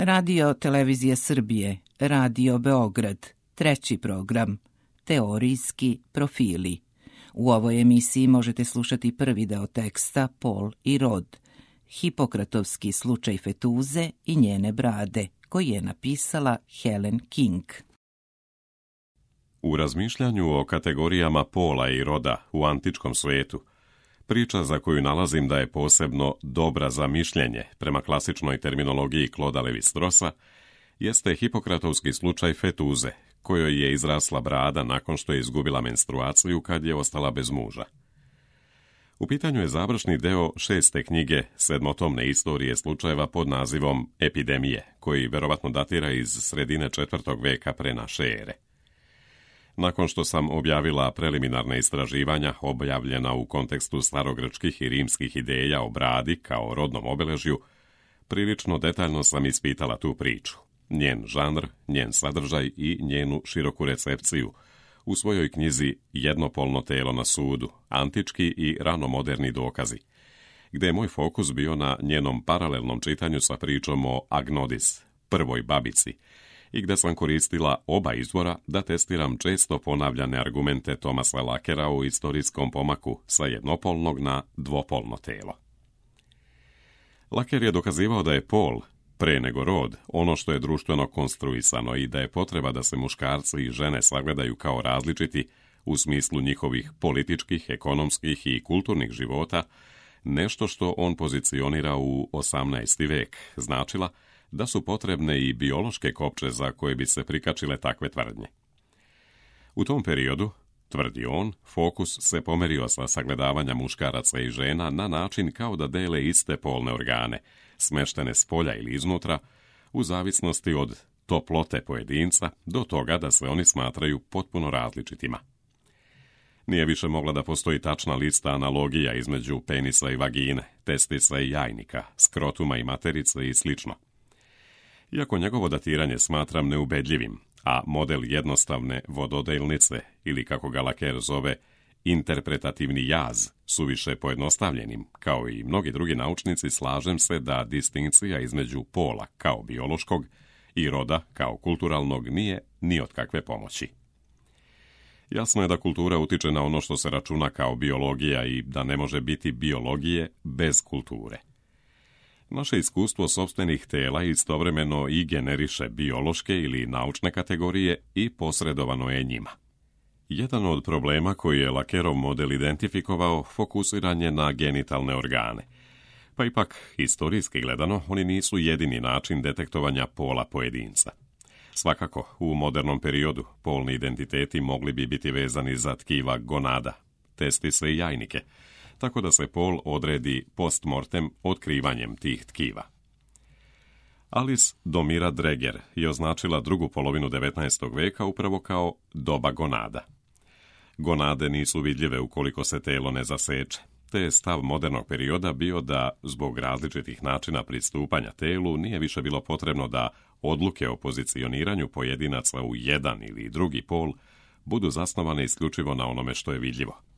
Radio Televizije Srbije, Radio Beograd, treći program, Teorijski profili. U ovoj emisiji možete slušati prvi deo teksta Pol i rod, Hipokratovski slučaj fetuze i njene brade, koji je napisala Helen King. U razmišljanju o kategorijama pola i roda u antičkom svetu, priča za koju nalazim da je posebno dobra za mišljenje prema klasičnoj terminologiji Clauda Levi-Straussa, jeste Hipokratovski slučaj fetuze, kojoj je izrasla brada nakon što je izgubila menstruaciju kad je ostala bez muža. U pitanju je završni deo 6. knjige sedmotomne istorije slučajeva pod nazivom Epidemije, koji verovatno datira iz sredine 4. veka pre naše ere. Nakon što sam objavila preliminarne istraživanja objavljena u kontekstu starogrčkih i rimskih ideja o bradi kao rodnom obeležju, prilično detaljno sam ispitala tu priču, njen žanr, njen sadržaj i njenu široku recepciju u svojoj knjizi Jednopolno telo na sudu, antički i ranomoderni dokazi, gde je moj fokus bio na njenom paralelnom čitanju sa pričom o Agnodis, prvoj babici, i gde sam koristila oba izvora da testiram često ponavljane argumente Thomasa Lakera u istorijskom pomaku sa jednopolnog na dvopolno telo. Laker je dokazivao da je pol, pre nego rod, ono što je društveno konstruisano i da je potreba da se muškarci i žene sagledaju kao različiti u smislu njihovih političkih, ekonomskih i kulturnih života, nešto što on pozicionira u 18. vek, značila da su potrebne i biološke kopče za koje bi se prikačile takve tvrdnje. U tom periodu, tvrdi on, fokus se pomerio sa sagledavanja muškaraca i žena na način kao da dele iste polne organe, smeštene s polja ili iznutra, u zavisnosti od toplote pojedinca do toga da se oni smatraju potpuno različitima. Nije više mogla da postoji tačna lista analogija između penisa i vagine, testisa i jajnika, skrotuma i materice i slično. Iako njegovo datiranje smatram neubedljivim, a model jednostavne vododelnice, ili kako ga Laker zove, interpretativni jaz, suviše pojednostavljenim, kao i mnogi drugi naučnici, slažem se da distinkcija između pola kao biološkog i roda kao kulturalnog nije ni od kakve pomoći. Jasno je da kultura utiče na ono što se računa kao biologija i da ne može biti biologije bez kulture. Naše iskustvo sopstvenih tela istovremeno i generiše biološke ili naučne kategorije i posredovano je njima. Jedan od problema koji je Lakerov model identifikovao fokusiran je na genitalne organe. Pa ipak, historijski gledano, oni nisu jedini način detektovanja pola pojedinca. Svakako, u modernom periodu polni identiteti mogli bi biti vezani za tkiva gonada, testise i jajnike, tako da se pol odredi postmortem otkrivanjem tih tkiva. Alice Domira Dreger je označila drugu polovinu 19. veka upravo kao doba gonada. Gonade nisu vidljive ukoliko se telo ne zaseče, te je stav modernog perioda bio da, zbog različitih načina pristupanja telu, nije više bilo potrebno da odluke o pozicioniranju pojedinaca u jedan ili drugi pol budu zasnovane isključivo na onome što je vidljivo.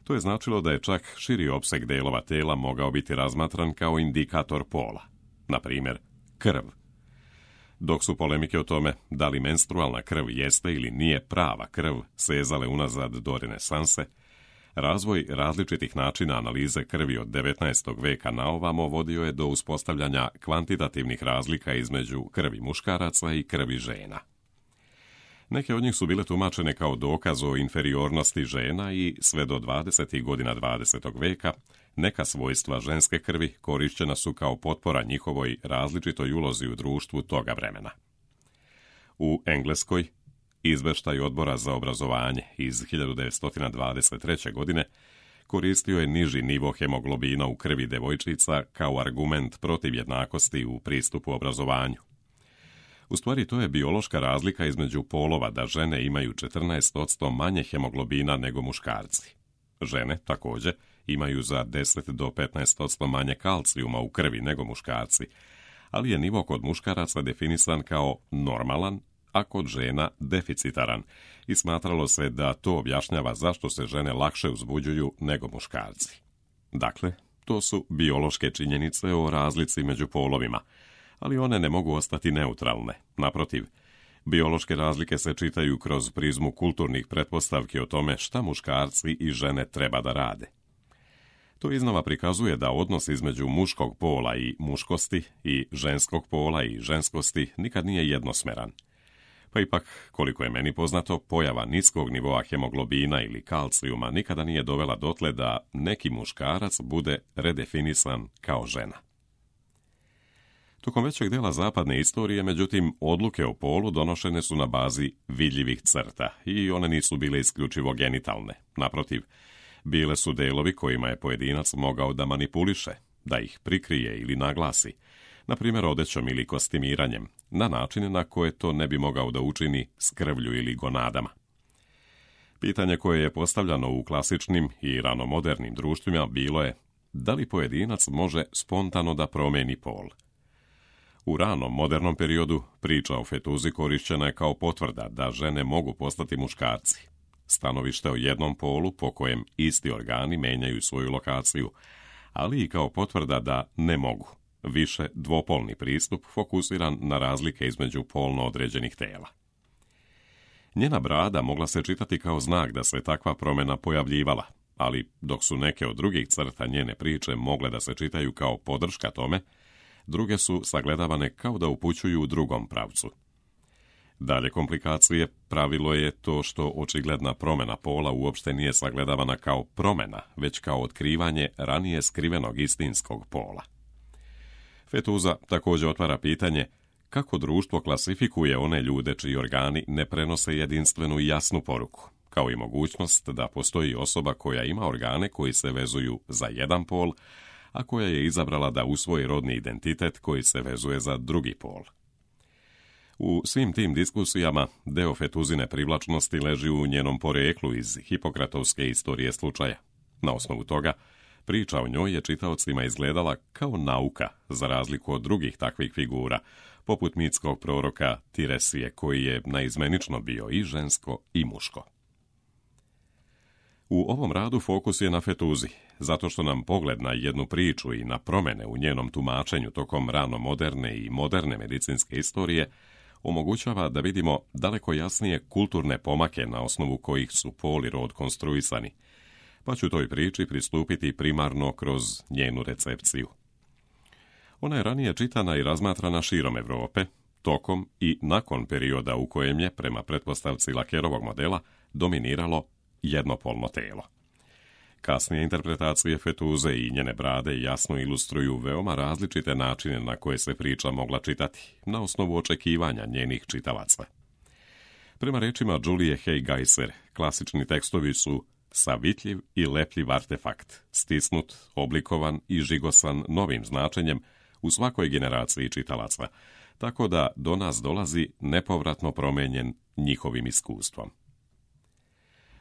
To je značilo da je čak širi opseg delova tela mogao biti razmatran kao indikator pola, na primjer krv. Dok su polemike o tome da li menstrualna krv jeste ili nije prava krv sezale unazad do renesanse, razvoj različitih načina analize krvi od 19. veka na ovamo vodio je do uspostavljanja kvantitativnih razlika između krvi muškaraca i krvi žena. Neke od njih su bile tumačene kao dokaz o inferiornosti žena i sve do 20. godina 20. veka neka svojstva ženske krvi korišćena su kao potpora njihovoj različitoj ulozi u društvu toga vremena. U Engleskoj, izveštaj Odbora za obrazovanje iz 1923. godine koristio je niži nivo hemoglobina u krvi devojčica kao argument protiv jednakosti u pristupu obrazovanju. U stvari, to je biološka razlika između polova da žene imaju 14% manje hemoglobina nego muškarci. Žene, također, imaju za 10 do 15% manje kalcijuma u krvi nego muškarci, ali je nivo kod muškaraca definisan kao normalan, a kod žena deficitaran, i smatralo se da to objašnjava zašto se žene lakše uzbuđuju nego muškarci. Dakle, to su biološke činjenice o razlici među polovima, Ali one ne mogu ostati neutralne. Naprotiv, biološke razlike se čitaju kroz prizmu kulturnih pretpostavki o tome šta muškarci i žene treba da rade. To iznova prikazuje da odnos između muškog pola i muškosti i ženskog pola i ženskosti nikad nije jednosmeran. Pa ipak, koliko je meni poznato, pojava niskog nivoa hemoglobina ili kalcijuma nikada nije dovela dotle da neki muškarac bude redefinisan kao žena. Tokom većeg dela zapadne istorije, međutim, odluke o polu donošene su na bazi vidljivih crta i one nisu bile isključivo genitalne. Naprotiv, bile su delovi kojima je pojedinac mogao da manipuliše, da ih prikrije ili naglasi, na primjer odećom ili kostimiranjem, na način na koje to ne bi mogao da učini s krvlju ili gonadama. Pitanje koje je postavljano u klasičnim i ranomodernim društvima bilo je da li pojedinac može spontano da promeni pol. U ranom modernom periodu priča o fetuzi korišćena je kao potvrda da žene mogu postati muškarci. Stanovište o jednom polu po kojem isti organi menjaju svoju lokaciju, ali i kao potvrda da ne mogu. Više dvopolni pristup fokusiran na razlike između polno određenih tela. Njena brada mogla se čitati kao znak da se takva promjena pojavljivala, ali dok su neke od drugih crta njene priče mogle da se čitaju kao podrška tome, druge su sagledavane kao da upućuju u drugom pravcu. Dalje komplikacije pravilo je to što očigledna promjena pola uopšte nije sagledavana kao promjena, već kao otkrivanje ranije skrivenog istinskog pola. Fetuza također otvara pitanje kako društvo klasifikuje one ljude čiji organi ne prenose jedinstvenu i jasnu poruku, kao i mogućnost da postoji osoba koja ima organe koji se vezuju za jedan pol, a koja je izabrala da usvoji rodni identitet koji se vezuje za drugi pol. U svim tim diskusijama deo fetuzine privlačnosti leži u njenom poreklu iz Hipokratovske istorije slučaja. Na osnovu toga, priča o njoj je čitaocima izgledala kao nauka, za razliku od drugih takvih figura, poput mitskog proroka Tiresije, koji je naizmenično bio i žensko i muško. U ovom radu fokus je na fetuzi, zato što nam pogled na jednu priču i na promjene u njenom tumačenju tokom rano moderne i moderne medicinske istorije omogućava da vidimo daleko jasnije kulturne pomake na osnovu kojih su pol i rod konstruisani, pa ću toj priči pristupiti primarno kroz njenu recepciju. Ona je ranije čitana i razmatrana širom Europe, tokom i nakon perioda u kojem je, prema pretpostavci Lakerovog modela, dominiralo jednopolno telo. Kasnije interpretacije fetuze i njene brade jasno ilustruju veoma različite načine na koje se priča mogla čitati, na osnovu očekivanja njenih čitalaca. Prema rečima Julie Hay-Geiser, klasični tekstovi su savitljiv i lepljiv artefakt, stisnut, oblikovan i žigosan novim značenjem u svakoj generaciji čitalaca, tako da do nas dolazi nepovratno promenjen njihovim iskustvom.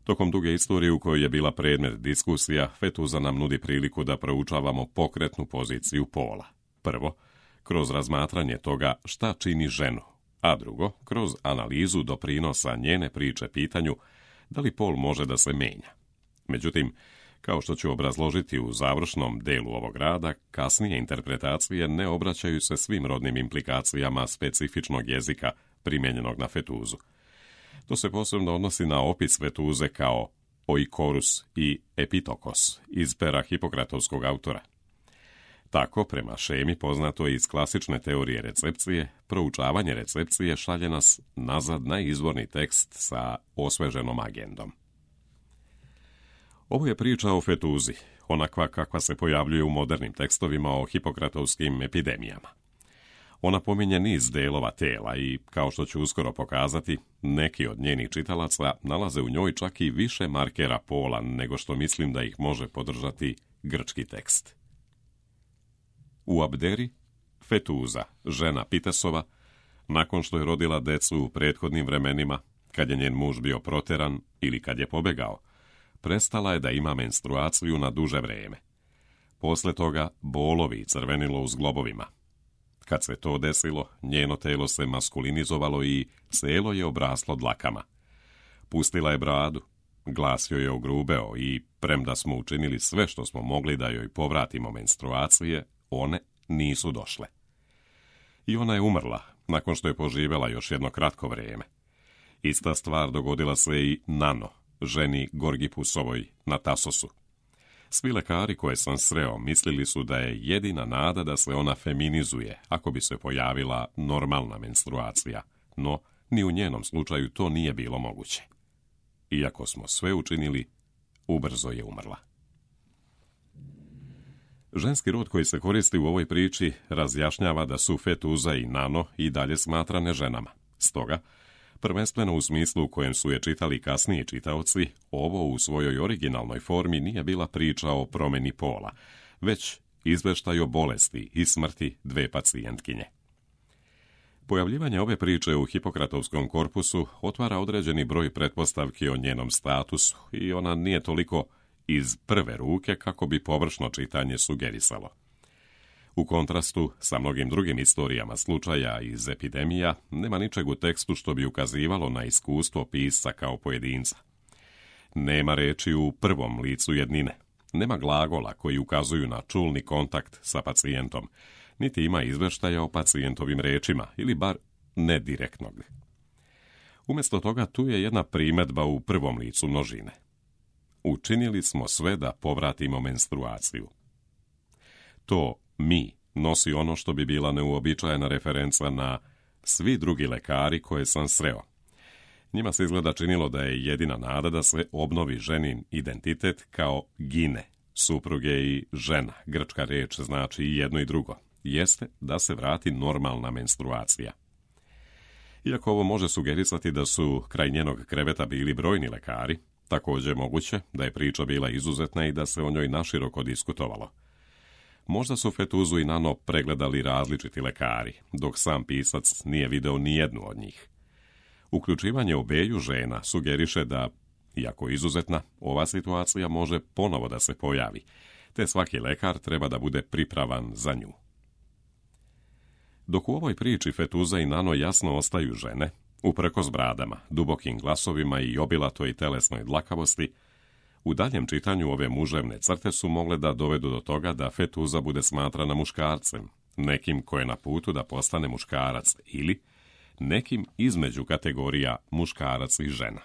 Tokom duge istorije u kojoj je bila predmet diskusija, fetuza nam nudi priliku da proučavamo pokretnu poziciju pola. Prvo, kroz razmatranje toga šta čini ženu, a drugo, kroz analizu doprinosa njene priče pitanju da li pol može da se menja. Međutim, kao što ću obrazložiti u završnom delu ovog rada, kasnije interpretacije ne obraćaju se svim rodnim implikacijama specifičnog jezika primijenjenog na fetuzu. To se posebno odnosi na opis fetuze kao oikorus i epitokos iz pera Hipokratovskog autora. Tako, prema šemi poznato iz klasične teorije recepcije, proučavanje recepcije šalje nas nazad na izvorni tekst sa osveženom agendom. Ovo je priča o fetuzi, onakva kakva se pojavljuje u modernim tekstovima o hipokratovskim epidemijama. Ona pominje niz delova tela i, kao što ću uskoro pokazati, neki od njenih čitalaca nalaze u njoj čak i više markera pola nego što mislim da ih može podržati grčki tekst. U Abderi, fetuza, žena Pitesova, nakon što je rodila decu u prethodnim vremenima, kad je njen muž bio proteran ili kad je pobegao, prestala je da ima menstruaciju na duže vreme. Posle toga bolovi crvenilo u zglobovima. Kad se to desilo, njeno telo se maskulinizovalo i celo je obraslo dlakama. Pustila je bradu, glas joj je ogrubeo i, premda smo učinili sve što smo mogli da joj povratimo menstruacije, one nisu došle. I ona je umrla, nakon što je poživjela još jedno kratko vrijeme. Ista stvar dogodila se i Nano, ženi Gorgipusovoj na Tasosu. Svi lekari koje sam sreo mislili su da je jedina nada da se ona feminizuje ako bi se pojavila normalna menstruacija, no ni u njenom slučaju to nije bilo moguće. Iako smo sve učinili, ubrzo je umrla. Ženski rod koji se koristi u ovoj priči razjašnjava da su Fetuza i Nano i dalje smatrane ženama. Stoga, prvenstveno u smislu u kojem su je čitali kasniji čitaoci, ovo u svojoj originalnoj formi nije bila priča o promjeni pola, već izveštaj o bolesti i smrti dve pacijentkinje. Pojavljivanje ove priče u Hipokratovskom korpusu otvara određeni broj pretpostavki o njenom statusu i ona nije toliko iz prve ruke kako bi površno čitanje sugerisalo. U kontrastu sa mnogim drugim istorijama slučaja iz epidemija, nema ničeg u tekstu što bi ukazivalo na iskustvo pisca kao pojedinca. Nema reči u prvom licu jednine, nema glagola koji ukazuju na čulni kontakt sa pacijentom, niti ima izveštaja o pacijentovim rečima, ili bar ne direktnog. Umjesto toga tu je jedna primedba u prvom licu množine. Učinili smo sve da povratimo menstruaciju. To mi nosi ono što bi bila neuobičajena referenca na svi drugi lekari koje sam sreo. Njima se izgleda činilo da je jedina nada da se obnovi ženin identitet kao gine, supruge i žena. Grčka reč znači i jedno i drugo. Jeste da se vrati normalna menstruacija. Iako ovo može sugerisati da su kraj njenog kreveta bili brojni lekari, također je moguće da je priča bila izuzetna i da se o njoj naširoko diskutovalo. Možda su Fetuzu i Nano pregledali različiti lekari, dok sam pisac nije video ni jednu od njih. Uključivanje obeju žena sugeriše da, iako izuzetna, ova situacija može ponovo da se pojavi, te svaki lekar treba da bude pripravan za nju. Dok u ovoj priči Fetuza i Nano jasno ostaju žene, uprkos bradama, dubokim glasovima i obilatoj telesnoj dlakavosti, u daljem čitanju ove muževne crte su mogle da dovedu do toga da Fetuza bude smatrana muškarcem, nekim ko je na putu da postane muškarac ili nekim između kategorija muškarac i žena.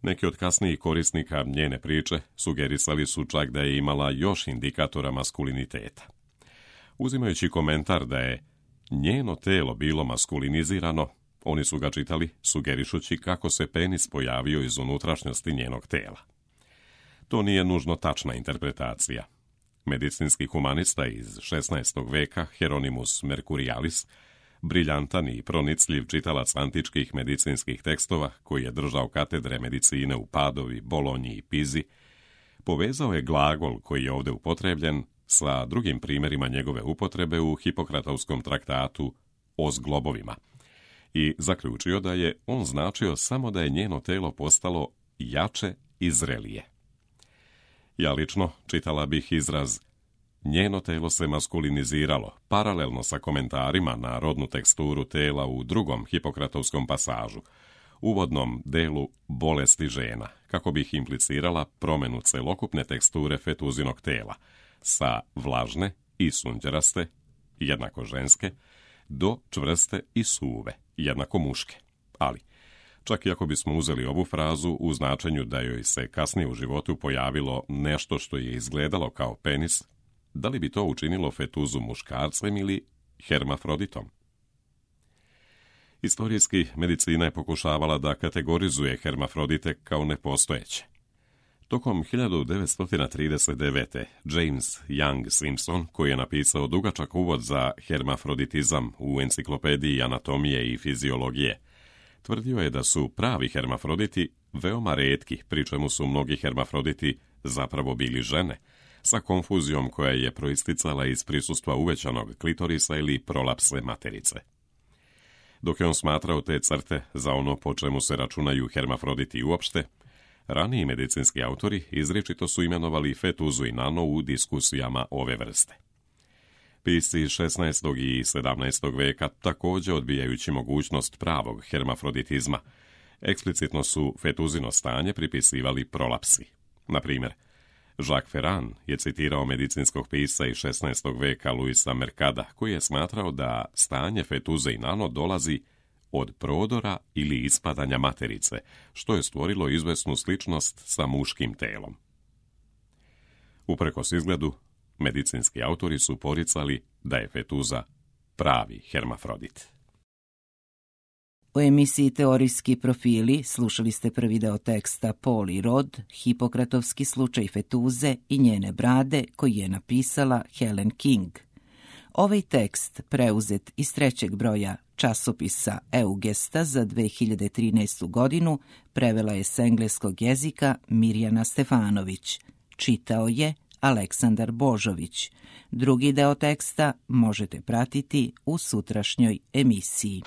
Neki od kasnijih korisnika njene priče sugerisali su čak da je imala još indikatora maskuliniteta. Uzimajući komentar da je njeno telo bilo maskulinizirano, oni su ga čitali sugerišući kako se penis pojavio iz unutrašnjosti njenog tela. To nije nužno tačna interpretacija. Medicinski humanista iz 16. veka Hieronymus Mercurialis, briljantan i pronicljiv čitalac antičkih medicinskih tekstova koji je držao katedre medicine u Padovi, Bolonji i Pizi, povezao je glagol koji je ovdje upotrebljen sa drugim primjerima njegove upotrebe u Hipokratovskom traktatu o zglobovima i zaključio da je on značio samo da je njeno telo postalo jače i zrelije. Ja lično čitala bih izraz njeno telo se maskuliniziralo, paralelno sa komentarima na rodnu teksturu tela u drugom Hipokratovskom pasažu, uvodnom delu bolesti žena, kako bih implicirala promjenu celokupne teksture Fetuzinog tela, sa vlažne i sunđeraste, jednako ženske, do čvrste i suve, jednako muške. Ali, čak i ako bismo uzeli ovu frazu u značenju da joj se kasnije u životu pojavilo nešto što je izgledalo kao penis, da li bi to učinilo Fetuzu muškarcem ili hermafroditom? Istorijski, medicina je pokušavala da kategorizuje hermafrodite kao nepostojeće. Tokom 1939. James Young Simpson, koji je napisao dugačak uvod za hermafroditizam u enciklopediji anatomije i fiziologije, tvrdio je da su pravi hermafroditi veoma retki, pri čemu su mnogi hermafroditi zapravo bili žene, sa konfuzijom koja je proisticala iz prisustva uvećanog klitorisa ili prolapse materice. Dok je on smatrao te crte za ono po čemu se računaju hermafroditi uopšte, raniji medicinski autori izričito su imenovali Fetuzu i Nano u diskusijama ove vrste. Pisci 16. i 17. veka, također odbijajući mogućnost pravog hermafroditizma, eksplicitno su Fetuzino stanje pripisivali prolapsi. Na primjer, Jacques Ferrand je citirao medicinskog pisca iz 16. veka Luisa Mercada, koji je smatrao da stanje fetuze i nano dolazi od prodora ili ispadanja materice, što je stvorilo izvesnu sličnost sa muškim telom. Uprkos izgledu, medicinski autori su poricali da je fetuza pravi hermafrodit. U emisiji Teorijski profili slušali ste prvi deo teksta Pol i rod, Hipokratovski slučaj fetuze i njene brade, koji je napisala Helen King. Ovaj tekst, preuzet iz 3. broja časopisa Eugesta za 2013. godinu, prevela je s engleskog jezika Mirjana Stefanović. Čitao je Aleksandar Božović. Drugi deo teksta možete pratiti u sutrašnjoj emisiji.